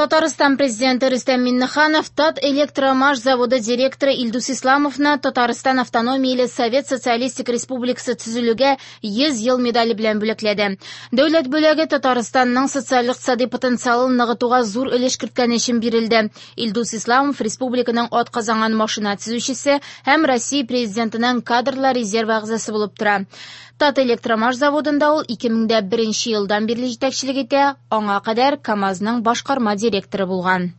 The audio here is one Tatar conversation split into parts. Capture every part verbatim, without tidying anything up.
Татарстан президенты Рөстәм Миңнеханов Татэлектромаш заводы директоры Илдус Исламовны Татарстан автономияле Совет Социалистик Республикасы төзелүгә йөз ел медале белән бүләкләде. Дәүләт бүләге Татарстанның социаль-икътисади потенциалын ныгытуга зур өлеш керткәне өчен бирелде. Илдус Исламов республиканың атказанган машина төзүчесе һәм Россия президентының кадрлар резервы әгъзасы булып тора. Татэлектромаш заводында ул ике мең дә беренче елдан бирле җитәкчелек итә, аңа кадәр КАМАЗның башкарма директоры булган.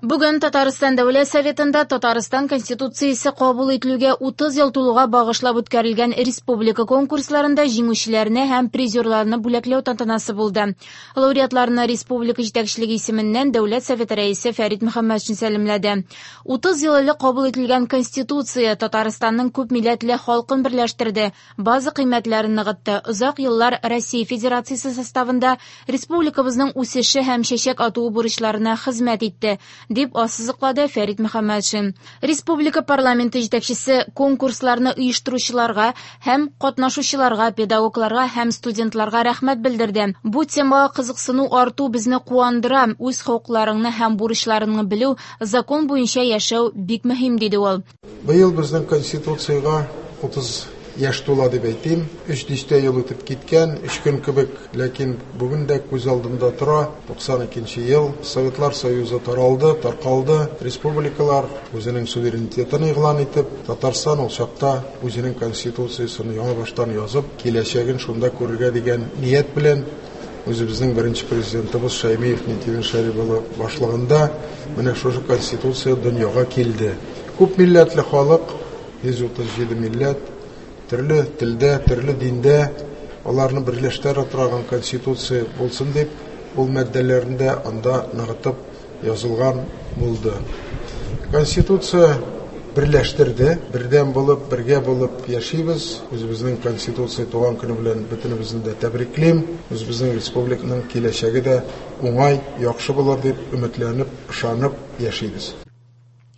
Бүген Татарстан Дәүләт Советында Татарстан Конституциясе кабул ителүгә утыз ел тулуга багышлап үткәрелгән республика конкурсларында җиңүчеләрне һәм призерларны бүләкләү тантанасы булды. Лауреатларны республика җитәкчелеге исеменнән Дәүләт Советы рәисе Фәрит Мөхәммәтшин сәламләде. Утыз ел элек кабул ителгән Конституция Татарстанның күп милләтле халкын берләштерде, база кыйммәтләрен ныгытты. Озак еллар Россия Федерациясе составында республикабызның үсеше һәм чәчәк атуы бурычларына хезмәт итте, дип ассызыклады Фәрит Мөхәммәтшин. Республика парламенты җитәкчесе конкурсларны оештыручыларга һәм катнашучыларга, педагогларга һәм студентларга рәхмәт белдерде. Бу темага кызыксыну арту безне куандыра, үз хокукларыңны һәм бурычларыңны белү, закон буенча яшәү бик мөһим, диде ул. Быел безнең Конституциягә утыз яшь тула дип әйтим. Өч дистә ел үтеп киткән, өч көн кебек, ләкин бүген дә күз алдында тора. Туксан икенче ел Советлар Союзы таралды, таркалды. Республикалар үзенең суверенитетын игълан итеп, Татарстан ул чакта үзенең конституциясен яңа баштан язып, киләчәген шунда күрергә дигән ният белән үзебезнең беренче президентыбыз Шәймиев Минтимер Шәрип улы башлыгында менә шушы конституция дөньяга килде. Күп милләтле халык, йөз утыз җиде милләт, төрле телдә, төрле диндә аларны берләштерә торган конституция булсын дип, ул маддәләрендә анда ныгытып язылган булды. Конституция берләштерде, бердәм булып, бергә булып яшибез. Үзебезнең конституция туган көне белән бөтенебезне дә тәбриклим. Үзебезнең республиканың киләчәге дә уңай, яхшы булыр дип өметләнеп, ышанып яшибез.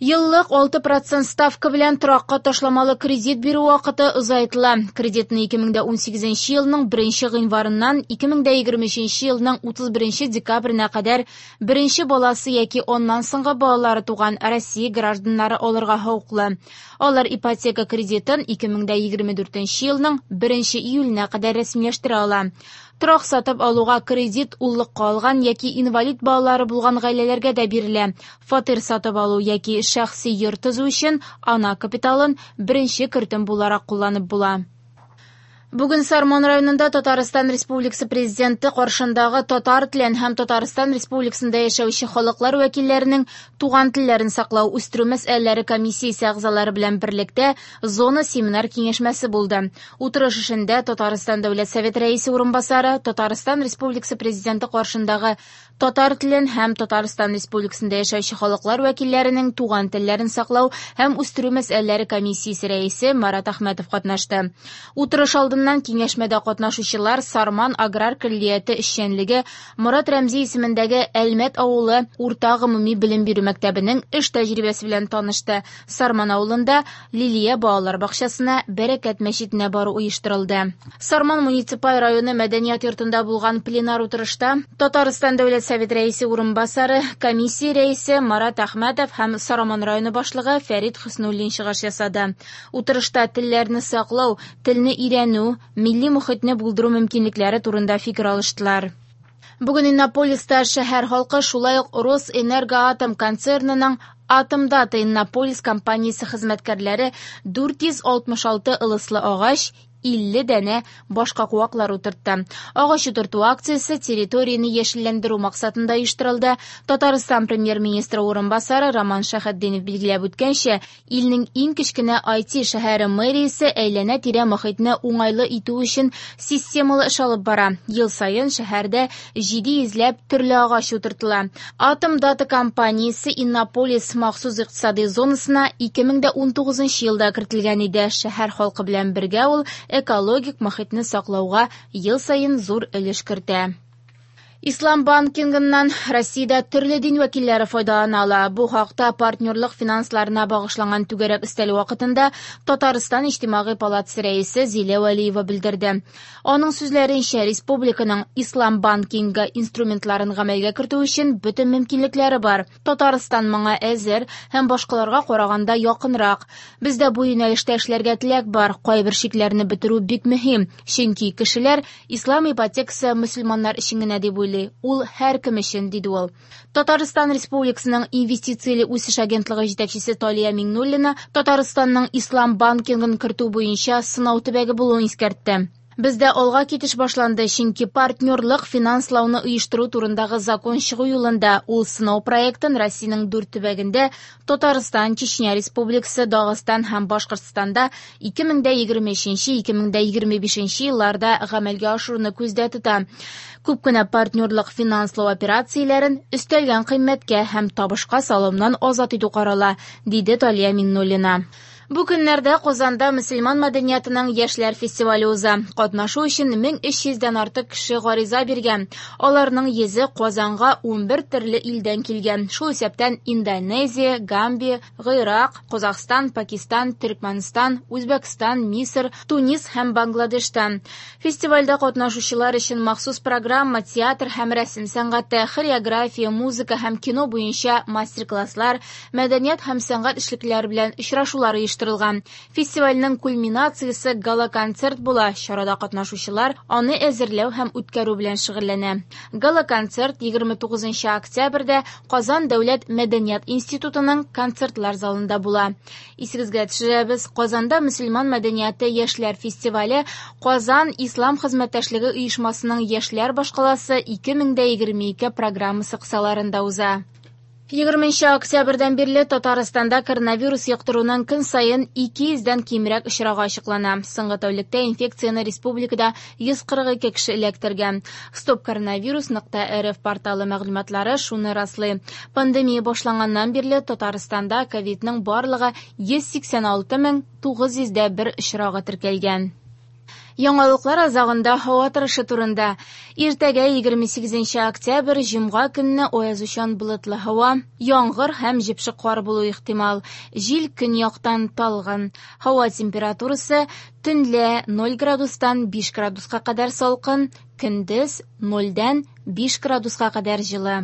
Еллык алты процент ставка белән торакка ташламалы кредит бирү вакыты озайтыла. Кредитны ике мең дә унсигезенче елның беренче гыйнварыннан ике мең дә егерме өченче елның утыз беренче декабренә кадәр беренче баласы яки аннан соңгы балалары туган Россия гражданнары алырга хокуклы. Алар ипотека кредитын ике мең дә егерме дүртенче елның беренче июленә кадәр рәсмиләштерә ала. Торак сатып алуга кредит уллыкка алган яки инвалид балалары булган гаиләләргә дә бирелә. Фатир сатып алу яки шәхси йорт төзү өчен ана капиталын беренче кертем буларак кулланып була. Бүген Сарман районында Татарстан Республикасы Президенты каршындагы татар телен һәм Татарстан Республикасында яшәүче халыклар вәкилләренең туган телләрен саклау үстерү мәсьәләләре комиссиясе әгъзалары белән берлектә зона семинар киңәшмәсе булды. Утырыш эшендә Татарстан Дәүләт Советы рәисе урынбасары, Татарстан Республикасы Президенты каршындагы татар телен һәм Татарстан Республикасында яшәүче халыклар вәкилләренең туган телләрен саклау һәм үстерү мәсьәләләре комиссиясе рәисе Марат Әхмәтов катнашты. Утырыш алдыннан киңәшмәдә катнашучылар Сарман аграр көллияте эшчәнлеге Морат Рәмзи исемендәге Әлмәт авылы урта гомуми белем бирү мәктәбенең эш тәҗрибәсе белән танышты. Сарман авылында Лилия балалар бакчасына Бәрәкәт мәчетенә бару оештырылды. Сарман муниципаль районы мәдәният йортында булган пленар утырышта Татарстан Дәүләт Советы рәисе урынбасары, комиссия рәисе Марат Әхмәтов һәм Сарман районы башлыгы Фәрит Хөснуллин чыгыш ясады. Утырышта телләрне саклау, телне өйрәнү, милли мохитне булдыру мөмкинлекләре турында фикер алыштылар. Бүген Иннополиста шәһәр халкы шулай ук Росэнергоатом концернының Атомдата Иннополис компаниясе хезмәткәрләре дүрт йөз алтмыш алты ылыслы агач, илле данә башка куаклар утыртты. Агач утырту акциясе территорияне яшелләндерү максатында оештырылды. Татарстан премьер-министры урынбасары Роман Шәһетдинов билгеләп үткәнчә, илнең иң кечкенә ай ти шәһәре мэриясе әйләнә-тирә мохитне уңайлы итү өчен системалы эш алып бара. Ел саен шәһәрдә җиде йөзләп төрле агач утыртыла. Атомдата компаниясе Иннополис махсус икътисади зонасына ике мең дә унтугызынчы елда кертелгән иде. Шәһәр халкы белән бергә ул экологик мохитне саклауга ел саен зур өлеш кертә. Ислам банкингыннан Россиядә төрле дин вәкилләре файдалана ала. Бу хакта партнерлык финансларына багышланган түгәрәк өстәл вакытында Татарстан Иҗтимагый палатасы рәисе Зилә Вәлиева белдерде. Аның сүзләренчә, республиканың ислам банкингы инструментларын гамәлгә кертү өчен бөтен мөмкинлекләре бар. Татарстан моңа әзер һәм башкаларга караганда якынрак. Бездә бу юнәлештә эшләргә теләк бар. Кайбер шикләрне бетерү бик мөһим, чөнки кешеләр ислам ипотекасы мөселманнар өчен генә дип уйлый. Ул һәркем өчен, диде ул. Татарстан Республикасының инвестицияле үсеш агентлыгы җитәкчесе Талия Миңнуллина Татарстанның ислам банкингын кертү буенча сынау төбәге булуын искәртте. Бездә алга китеш башланды, чөнки партнерлык финанслауны оештыру турындагы закон чыгу юлында. Ул сынау проектын Россиянең дүрт төбәгендә Татарстан, Чечня Республикасы, Дагыстан һәм Башкортстанда ике мең дә егерме өченче - ике мең дә егерме бишенче елларда гамәлгә ашыруны күздә тота. Күп кенә партнерлык финанслау операцияләрен өстәлгән кыйммәткә һәм табышка салымнан азат итү карала, диде Талия Миңнуллина. Бу көннәрдә Казанда мөселман мәдәниятының яшьләр фестивале уза. Катнашу өчен мең өч йөздән артык кеше гариза биргән. Аларның йөзе Казанга унбер төрле илдән килгән. Шул исәптән Индонезия, Гамбия, Гыйрак, Казахстан, Пакистан, Төркмәнстан, Үзбәкстан, Мисыр, Тунис һәм Бангладештан. Фестивальдә катнашучылар өчен махсус программа, театр һәм рәсем сәнгате, хореография, музыка һәм кино буенча мастер-класслар, мәдәният һәм сәнгать эшлеклеләре белән очрашулар оештырылган. Фестивальнең кульминациясе гала-концерт була. Чарада катнашучылар аны әзерләү һәм үткәрү белән шөгыльләнә. Гала-концерт егерме тугызынчы октябрьдә Казан дәүләт мәдәният институтының концертлар залында була. Исегезгә төшерәбез, Казанда мөселман мәдәнияте яшьләр фестивале Казан Ислам хезмәттәшлеге оешмасының яшьләр башкаласы ике мең дә егерме ике программасы кысаларында уза. Егерменче октябрьдән бирле Татарстанда коронавирус йоктыруның көн саен ике йөздән кимрәк очрагы ачыклана. Соңгы тәүлектә инфекцияне республикада йөз кырык ике кеше эләктергән. Стоп коронавирус нокта рф порталы мәгълүматлары шуны раслый. Пандемия башланганнан бирле Татарстанда ковидның барлыгы йөз сиксән алты мең тугыз йөз дә бер очрагы теркәлгән. Яңалыклар азагында һава торышы турында. Иртәгә егерме сигезенче октябрь җомга көнне аязучан болытлы һава, яңгыр һәм җепшек кар булу ихтимал. Җил көньяктан талгын. Һава температурасы төнлә ноль градустан биш градуска кадәр салкын, көндез нольдән биш градуска кадәр җылы.